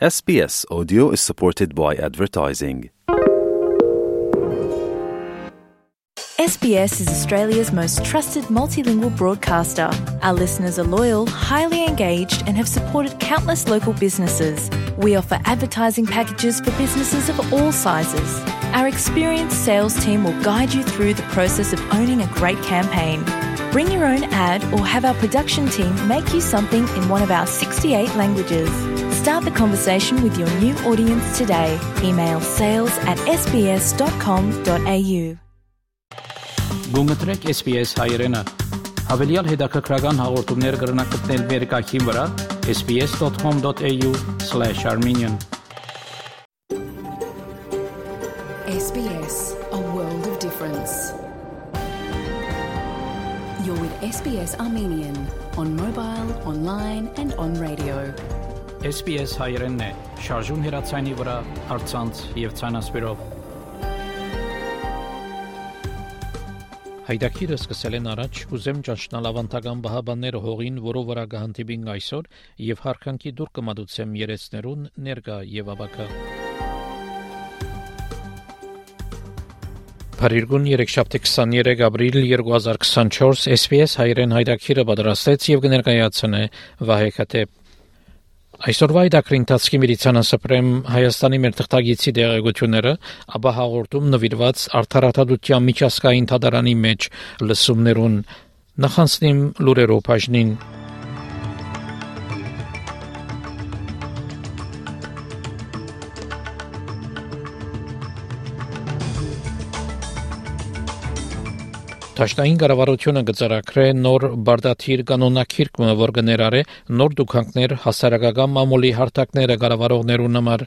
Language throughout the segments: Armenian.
SBS Audio is supported by advertising. SBS is Australia's most trusted multilingual broadcaster. Our listeners are loyal, highly engaged, and have supported countless local businesses. We offer advertising packages for businesses of all sizes. Our experienced sales team will guide you through the process of owning a great campaign. Bring your own ad or have our production team make you something in one of our 68 languages. Start the conversation with your new audience today. Email sales@sbs.com.au. Գումտրեք SBS հայերենը։ Հավելյալ հետաքրքրական հաղորդումներ կգրնակցնել վերկայքին վրա sbs.com.au/armenian SBS, a world of difference. You're with SBS Armenian on mobile, online and on radio. SBS հայերենն է, շարժուն հեռացանի վրա, առցանց եւ ցանասպիրով։ Հայդակիրը սկսել են առաջ ուզեմ ճանչնալ ավանդական բահաբանները հողին, որով վրա կհանդիպին այսօր եւ հարկանքի դուր կմատուցեմ երեցներուն ներկա եւ ավակա։ Փարիգուն 3-7 ապրիլ 2024 SBS հայերեն հայդակիրը պատրաստեց եւ կներկայացնե Վահե Քաթեփ։ Այսօրվա այդակրի ընթացքի միլիցանասպրեմ Հայաստանի մեր թղթագիտի դեղեցությունները, ապա հաղորդում նվիրված արդարադատության միջազգային դատարանի մեջ լսումներուն նախանցնիմ լուրերով բաժնին։ Տաշտային կառավարությունը գծարակրե նոր բարդաթիր կանոնակիրքը, որ կներառե նոր դուքանքներ հասարակական մամուլի հարթակները կառավարողներուն համար։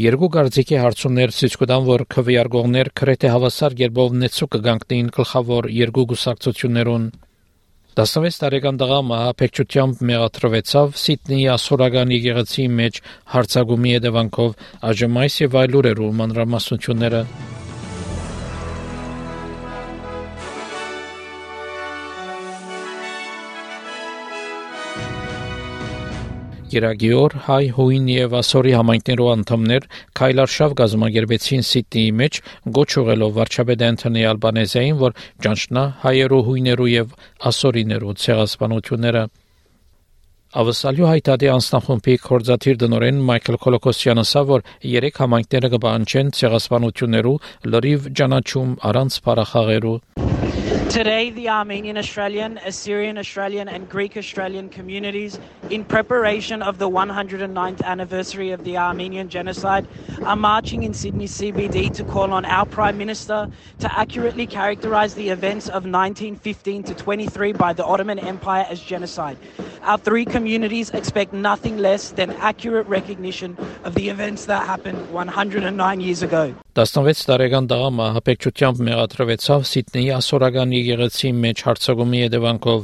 Երկու գարձիկի հարցումներ ցույց կտան, որ քվեարկողներ քրեթե հավասար կերպով նեցու կգանքնին գլխավոր երկու գուսակցություններուն։ 16 տարեկան տղա մահապեկչությամբ մեղադրվեցավ Սիդնեի ասորական եկեղեցի մեջ հարցակումի հետևանքով, այժմ այս եւ այլ լուրերու մանրամասնությունները։ Երագիոր հայ հույն եւ ասորի համայնքներու անդամներ քայլարշավ գազմագերբեցին Սիդնեի մեջ գոչ ուղելով վարչապետ Անթոնի Ալբանեզային, որ ճանչնա հայերու հույներու եւ ասորիներու ցեղասպանությունները։ Ավսալյու հայտարարի անձնախումբի կորզաթիր դնորեն Մայքլ Կոլոկոսյանը ասա, որ 3 համայնքները կբանջեն ցեղասպանություններու լրիվ ճանաչում առանց բարախաղերու։ Today, the Armenian Australian, Assyrian Australian and Greek Australian communities, in preparation of the 109th anniversary of the Armenian genocide, are marching in Sydney CBD to call on our Prime Minister to accurately characterise the events of 1915 to 23 by the Ottoman Empire as genocide. Our 3 communities expect nothing less than accurate recognition of the events that happened 109 years ago. 16 տարեկան տղա մահապեկչությամբ մեղադրվեցավ Սիդնեի ասորական եկեղեցի մեջ հարցակումի հետևանքով։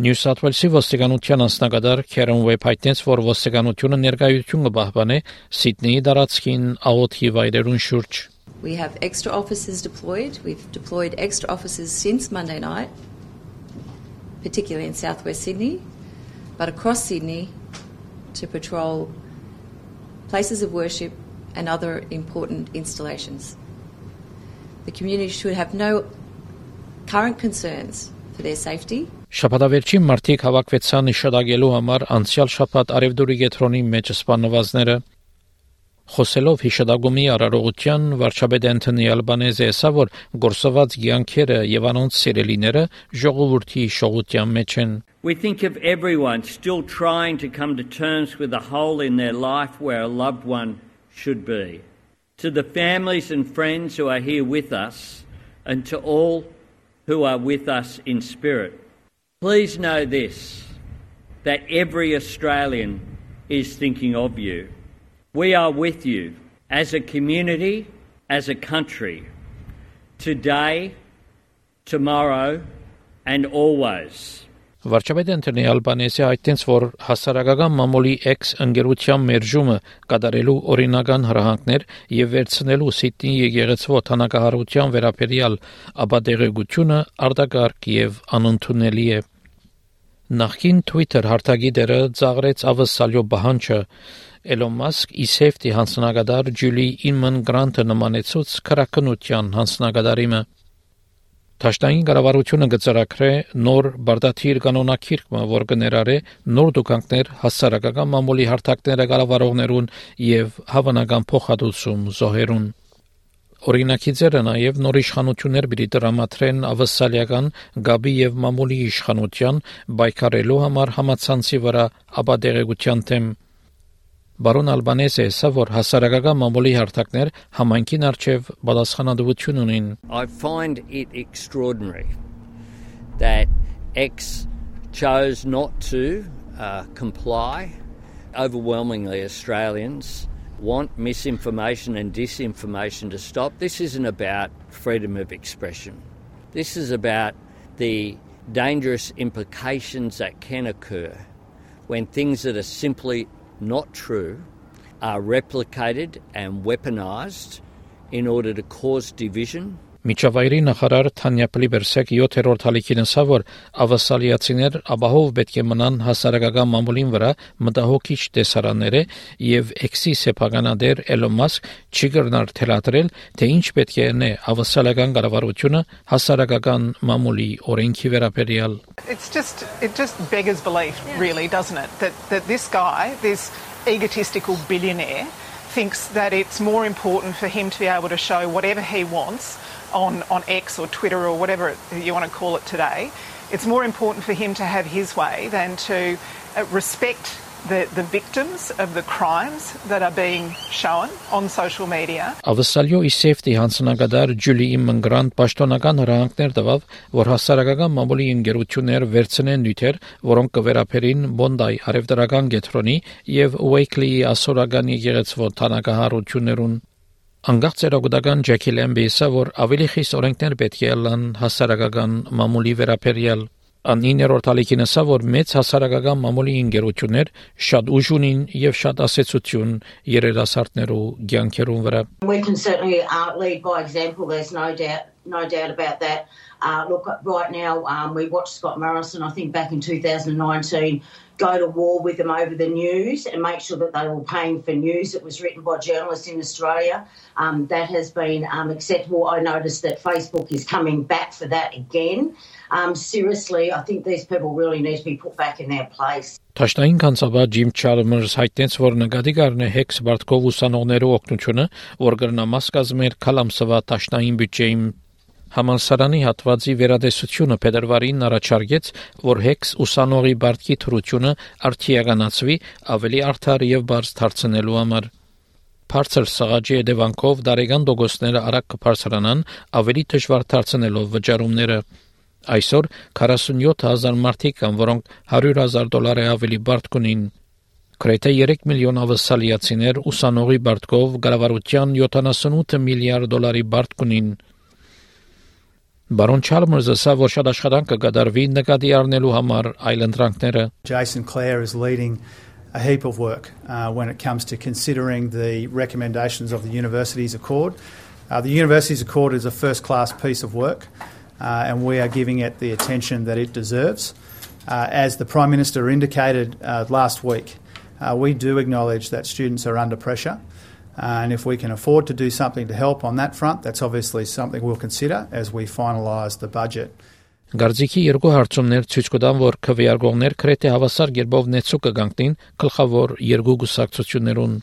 Նյու Սաութ Ուելսի ոստիկանության անձնակատար Քերեն Ուեբ հայտնեց, որ ոստիկանությունը ներկայություն կպահպանի Սիդնեի տարածքին աղոթի վայրերուն շուրջ։ We have extra officers deployed. We've deployed extra officers since Monday night, particularly in southwest Sydney, but across Sydney to patrol places of worship and other important installations. The community should have no current concerns for their safety. Շաբաթավերջին մարդիկ հավաքվեցան իշադակելու համար անցյալ շաբաթ Արևդուրի գետրոնի մեջ սպանվածները։ Խոսելով հիշադակումի արարողության վարչապետ Անթոնի Ալբանեզը ասա, որ գործված կյանքերը եւ անոնց սիրելիները ժողովրդի շողության մեջ են։ We think of everyone still trying to come to terms with a hole in their life where a loved one should be. To the families and friends who are here with us, and to all who are with us in spirit, please know this, that every Australian is thinking of you. We are with you as a community, as a country, today, tomorrow, and always. Վարչապետ Անթոնի Ալբանեզը հայտնեց, որ հասարակական մամուլի ընկերության մերժումը կատարելու օրինական հրահանգներ եւ վերցնելու Սիդնեի եկեղեցու օդանավահարության վերաբերյալ ապատեղեկությունը արտակարգ եւ անընդունելի է։ Նախքին Twitter հարթագիտերը ծաղրեց ավսալյո բանջը Elon Musk իսեյֆտի հանձնագետար Ջուլի Ինման Գրանտը նմանեցուց քրակնության հանձնագետարիմը Թաշտային կառավարությունը գծարակրե նոր բարդաթիր կանոնակիրքը, որ կներառե նոր դուքանքներ հասարակական մամուլի հարթակները կառավարողներուն եւ հավանական փոխհատուցում զոհերուն Օրինակիցերը նաև նոր իշխանություններ պիտի տրամադրեն ավասալիական գաբի եւ մամուլի իշխանության բայկարելու համար համացանցի վրա ապադեղեցության թեմ Բարոն Ալբանեզը ասա որ հասարակական մամուլի հարթակներ համայնքին արչեւ պատասխանատվություն ունին I find it extraordinary that X chose not to comply. Overwhelmingly Australians want misinformation and disinformation to stop. This isn't about freedom of expression. This is about the dangerous implications that can occur when things that are simply not true are replicated and weaponized in order to cause division. Միջավայրի նախարար Թանյա Պլիբերսեկ 7-րդ հալիքին ասա, որ ավասալիացիներ ապահով պետք է մնան հասարակական մամուլին վրա մտահոգիչ տեսարանները եւ X-ի սեփականադեր Elon Musk չի կրնար թելադրել, թե ինչ պետք է ane ավասալական կառավարությունը հասարակական մամուլի օրենքի վերաբերյալ It just beggars belief, really, doesn't it? That this guy, this egotistical billionaire, thinks that it's more important for him to be able to show whatever he wants on X or Twitter or whatever you want to call it today. It's more important for him to have his way than to respect the victims of the crimes that are being shown on social media. Ավասալյո իսեյֆտի հանձնագետար Ջուլի Ինման Գրանտ պաշտոնական հրահանգներ տվավ, որ հասարակական մամուլի ընկերություններ վերցնեն նյութեր, որոնք կվերապերին Բոնդայ արևտրական գետրոնի եւ Ուեյքլիի ասորական եկեղեցվո թանկահարություններուն Անգախ ծերագուտական Ջեքի Լեմբիսը, որ ավելի խիստ օրենքներ պետք է լան հասարակական մամուլի վերաբերյալ An 9-րդ հալիքին ասա, որ մեծ հասարակական մամուլի ընկերություններ շատ ուժ ունին եւ շատ ասեցություն երիտասարդներու կյանքերուն վրա We can certainly lead by example, there's no doubt about that. Look, right now we watched Scott Morrison, I think back in 2019, go to war with them over the news and make sure that they were paying for news that was written by journalists in Australia. That has been acceptable. I noticed that Facebook is coming back for that again. Seriously, I think these people really need to be put back in their place. Թաշտային կանցաբար Ջիմ Չալմերս հայտնեց, որ նկատի կառնե Հեքս Բարտկով ուսանողներու օգնությունը, որ կրնամաս կազմեր քալամսվա թաշտային բյուջեին Համալսարանի հատվածի վերադեսությունը փետրվարին առաջարկեց, որ Հեքս ուսանողի Բարտկի թրությունը արդիականացվի ավելի արդար եւ բարձ դարձնելու համար։ Բարձր սղաճի հետևանքով դարեգան դոգոսները արագ կբարձրանան, ավելի դժվար դարձնելով վճարումները։ Այսօր 47000 մարդիկ կան, որոնք $100,000 ավելի բարդ կունին։ Գրեթե 3 միլիոն ավասալիացիներ ուսանողի բարտկով կառավարության $78 միլիարդ բարդ կունին։ Բարոն Չալմերսը ասա, որ շատ աշխատանք կկատարվի նկատի առնելու համար այլընտրանքները։ Jason Clare is leading a heap of work when it comes to considering the recommendations of the Universities Accord. The Universities Accord is a first-class piece of work. And we are giving it the attention that it deserves. As the Prime Minister indicated last week, we do acknowledge that students are under pressure. And if we can afford to do something to help on that front, that's obviously something we'll consider as we finalise the budget. Գարձիկի երկու հարցումներ ցույց կտան, որ քվեարկողներ քրեթե հավասար կերպով նեցու կգանքնին գլխավոր երկու գուսակցություններուն։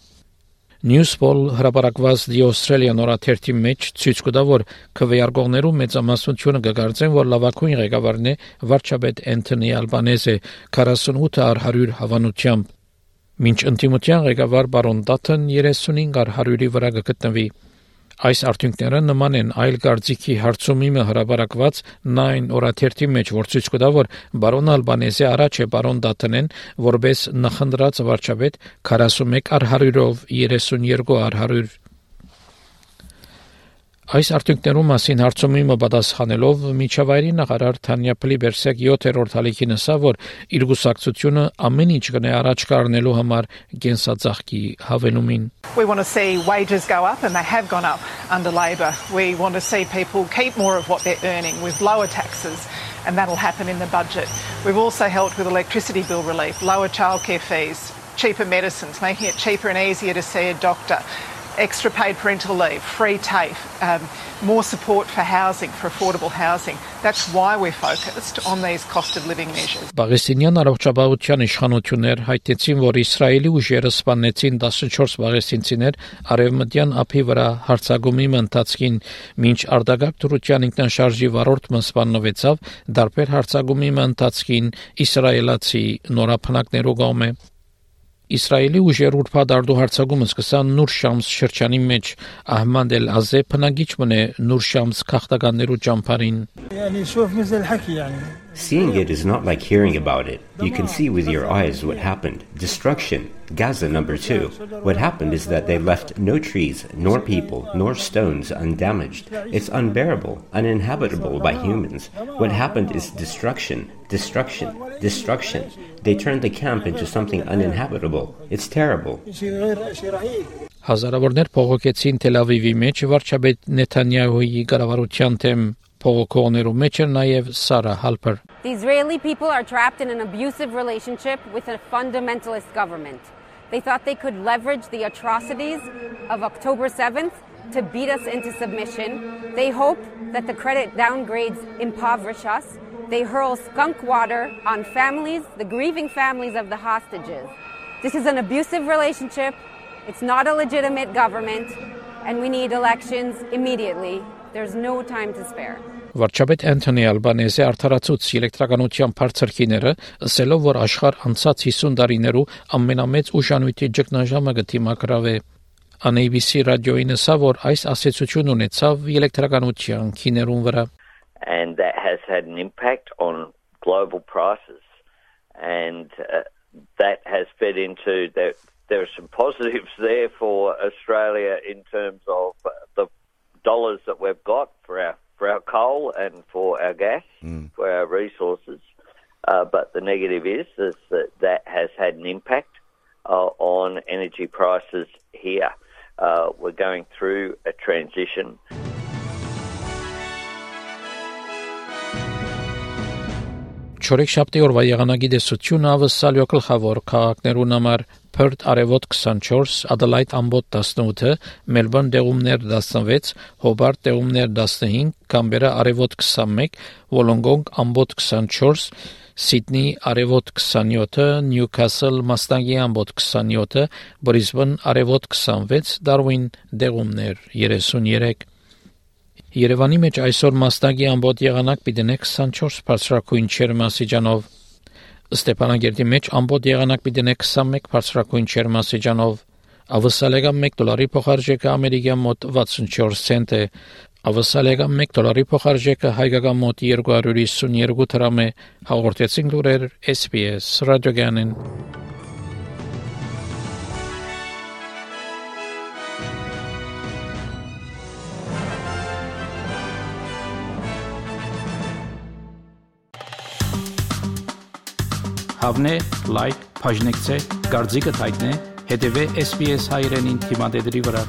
Newspoll հրապարակված The Australian օրաթերթի մեջ ցույց կտա, որ քվեարկողներու մեծամասնությունը կգործեն, որ լավագույն ղեկավարն է վարչապետ Անթոնի Ալբանեզը 48/100 հավանությամբ։ Մինչ ընդդիմության ղեկավար բարոն Դաթն 35/100-ի վրա կգտնվի։ Այս արդյունքները նման են այլ գարձիկի հարցումի հրապարակված 9 օրաթերթի մեջ, որ ցույց կտա, որ բարոն Ալբանեզը առաջ է բարոն Դաթնեն, որպես նախընտրած վարչապետ 41/100-ով 32/100։ Այս արդյունքներու մասին հարցումի պատասխանելով միջավայրի նախարար Թանյա Պլիբերսեկ 7-րդ հալիքին ասա, որ իր գուսակցությունը ամեն ինչ կնե առաջ կառնելու համար կենսածաղկի հավենումին։ We want to see wages go up, and they have gone up under Labor. We want to see people keep more of what they're earning with lower taxes, and that'll happen in the budget. We've also helped with electricity bill relief, lower childcare fees, cheaper medicines, making it cheaper and easier to see a doctor, extra paid parental leave, free TAFE, more support for housing, for affordable housing. That's why we're focused on these cost of living measures. Պաղեստինյան առողջապահության իշխանություններ հայտեցին, որ Իսրայելի ուժերը սպանեցին 14 պաղեստինցիներ արևմտյան ափի վրա հարձակումի ընթացքին, մինչ արտագաղթ Թուրքիան ինքնաշարժի վարորդը սպանվեցավ դարբեր հարձակումի ընթացքին իսրայելացի նորապնակներով գոմե Իսրայելի ուժերը ուրբաթ արտահարձակումը սկսան Նուր Շամս շրջանի մեջ Ահմադ Էլ-Ազե բնագիչ մնե Նուր Շամս քաղաքականներու ճամփարին Seeing it is not like hearing about it. You can see with your eyes what happened. Destruction. Gaza number 2. What happened is that they left no trees, nor people, nor stones undamaged. It's unbearable, uninhabitable by humans. What happened is destruction, destruction, destruction. They turned the camp into something uninhabitable. It's terrible. Հազարավորներ փողոքեցին Թել Ավիվի մեջ վարչապետ Նեթանյահուի կառավարության թեմ փողոքողներու մեջ էր նաև Սարա Հալպեր. The Israeli people are trapped in an abusive relationship with a fundamentalist government. They thought they could leverage the atrocities of October 7th to beat us into submission. They hope that the credit downgrades impoverish us. They hurl skunk water on families, the grieving families of the hostages. This is an abusive relationship. It's not a legitimate government, and we need elections immediately. There's no time to spare. Վարչապետ Անթոնի Ալբանեզը արդարացուց էլեկտրականության բարձրքիները, ասելով, որ աշխարհ անցած 50 տարիներու ամենամեծ ուժանույթի ճգնաժամը գտիմակրավ է։ ABC ռադիոին ասա, որ այս ասացություն ունեցավ էլեկտրականության քիներուն վրա. And that has had an impact on global prices, and that has fed into that. There are some positives there for Australia in terms of the dollars that we've got for our coal and for our gas, for our resources. But the negative is that has had an impact on energy prices here. We're going through a transition. Չորեքշաբթի օրվա եղանակի դեսությունը ավսալյո գլխավոր քաղաքներուն համար Perth արևոտ 24, Adelaide ամբոտ 18, Melbourne դեղումներ 16, Hobart դեղումներ 15, Canberra արևոտ 21, Wollongong ամբոտ 24, Sydney արևոտ 27, Newcastle մաստանգի ամբոտ 27, Brisbane արևոտ 26, Darwin դեղումներ 33 Երևանի մեջ այսօր մաստագի ամբոտ եղանակ պիտենե 24 բարձրակույն չերմասիջանով, Ստեփանագերդի մեջ ամբոտ եղանակ պիտենե 21 բարձրակույն չերմասիջանով, ավսալեգան $1 փոխարժեքը ամերիկյան մոտ 64 سنت է, ավսալեգան $1 փոխարժեքը հայկական մոտ 252 դրամ է, հաղորդեցին լուրեր SBS ռադիոգանին. Հավնե, լայք, բաժնեկցե, դարձիկը թայտնե, հետևե SBS հայրենին թիմադեդրի վրա.